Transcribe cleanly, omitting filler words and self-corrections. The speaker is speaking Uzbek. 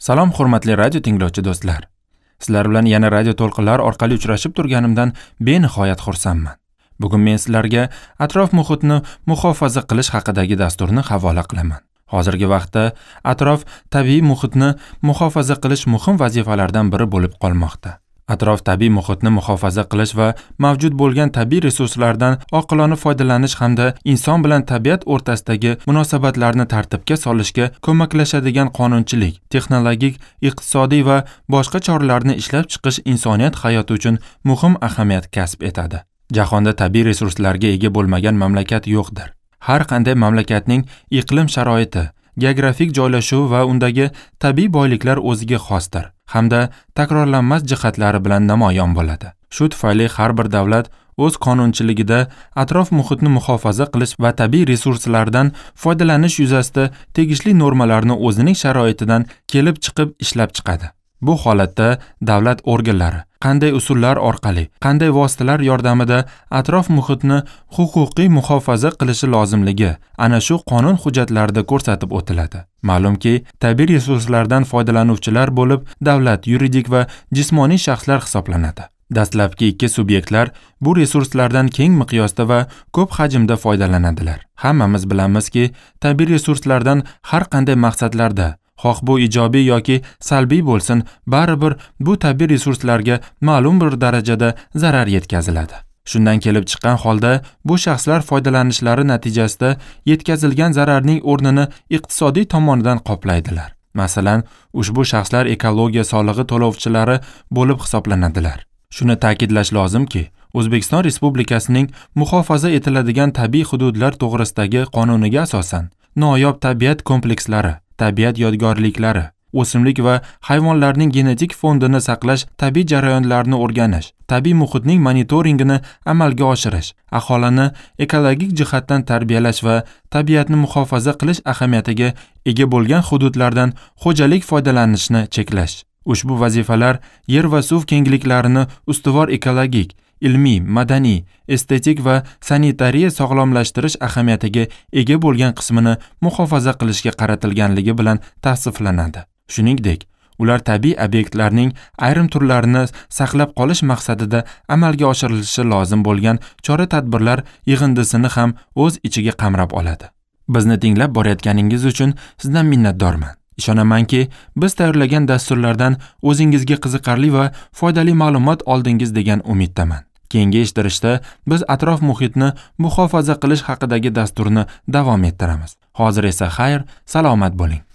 Salom hurmatli radio tinglovchi do'stlar. Sizlar bilan yana radio to'lqinlar orqali uchrashib turganimdan benihoyat xursandman. Bugun men sizlarga atrof muhitni muhofaza qilish haqidagi dasturni havola qilaman. Hozirgi vaqtda atrof tabiiy muhitni muhofaza qilish muhim vazifalardan biri bo'lib qolmoqda. Atrof tabiiy muhitni muhofaza qilish va mavjud bo'lgan tabiiy resurslardan oqilona foydalanish hamda inson bilan tabiat o'rtasidagi munosabatlarni tartibga solishga ko'maklashadigan qonunchilik, texnologik, iqtisodiy va boshqa choralarni ishlab chiqish insoniyat hayoti uchun muhim ahamiyat kasb etadi. Jahonda tabiiy resurslarga ega bo'lmagan mamlakat yo'qdir. Har qanday mamlakatning iqlim sharoiti, geografik joylashuvi va undagi tabiiy boyliklar o'ziga xosdir hamda takrorlanmas jihatlari bilan namoyon bo'ladi. Shu tufayli har bir davlat o'z qonunchiligida atrof muhitni muhofaza qilish va tabiiy resurslardan foydalanish yuzasida tegishli normalarni o'zining sharoitidan kelib chiqib ishlab chiqadi. Bu holatda davlat organlari qanday usullar orqali, qanday vositalar yordamida atrof muhitni huquqiy muhofaza qilishi lozimligi ana shu qonun hujjatlarida ko'rsatib o'tiladi. Ma'lumki, tabiiy resurslardan foydalanuvchilar bo'lib davlat, yuridik va jismoniy shaxslar hisoblanadi. Dastlabki ikki subyektlar bu resurslardan keng miqyosda va ko'p hajmda foydalanadilar. Hammamiz bilamizki, tabiiy resurslardan har qanday maqsadlarda, xoh bu ijobiy yoki salbiy bo'lsin, baribir bu tabiiy resurslarga ma'lum bir darajada zarar yetkaziladi. Shundan kelib chiqqan holda bu shaxslar foydalanishlari natijasida yetkazilgan zararning o'rnini iqtisodiy tomonidan qoplaydilar. Masalan, ushbu shaxslar ekologiya solig'i to'lovchilari bo'lib hisoblanadilar. Shuni ta'kidlash lozimki, O'zbekiston Respublikasining muhofaza etiladigan tabiiy hududlar to'g'risidagi qonuniga asosan noyob tabiat komplekslari, tabiat yodgorliklari, o'simlik va hayvonlarning genetik fondini saqlash, tabiiy jarayonlarni o'rganish, tabiiy muhitning monitoringini amalga oshirish, aholini ekologik jihatdan tarbiyalash va tabiatni muhofaza qilish ahamiyatiga ega bo'lgan hududlardan xo'jalik foydalanishni cheklash. Ushbu vazifalar yer va suv kengliklarini ustuvor ekologik, ilmiy, madaniy, estetik va sanitariya sog'lomlashtirish ahamiyatiga ega bo'lgan qismini muhofaza qilishga qaratilganligi bilan tavsiflanadi. Shuningdek, ular tabiiy obyektlarning ayrim turlarini saqlab qolish maqsadida amalga oshirilishi lozim bo'lgan chora-tadbirlar yig'indisini ham o'z ichiga qamrab oladi. Bizni tinglab borayotganingiz uchun sizdan minnatdorman. Ishonamanki, biz tayyorlagan dasturlardan o'zingizga qiziqarli va foydali ma'lumot oldingiz degan umiddaman. Keyingi eshittirishda biz atrof muhitni muhofaza qilish haqidagi dasturni davom ettiramiz. Hozir esa xayr, salomat bo'ling.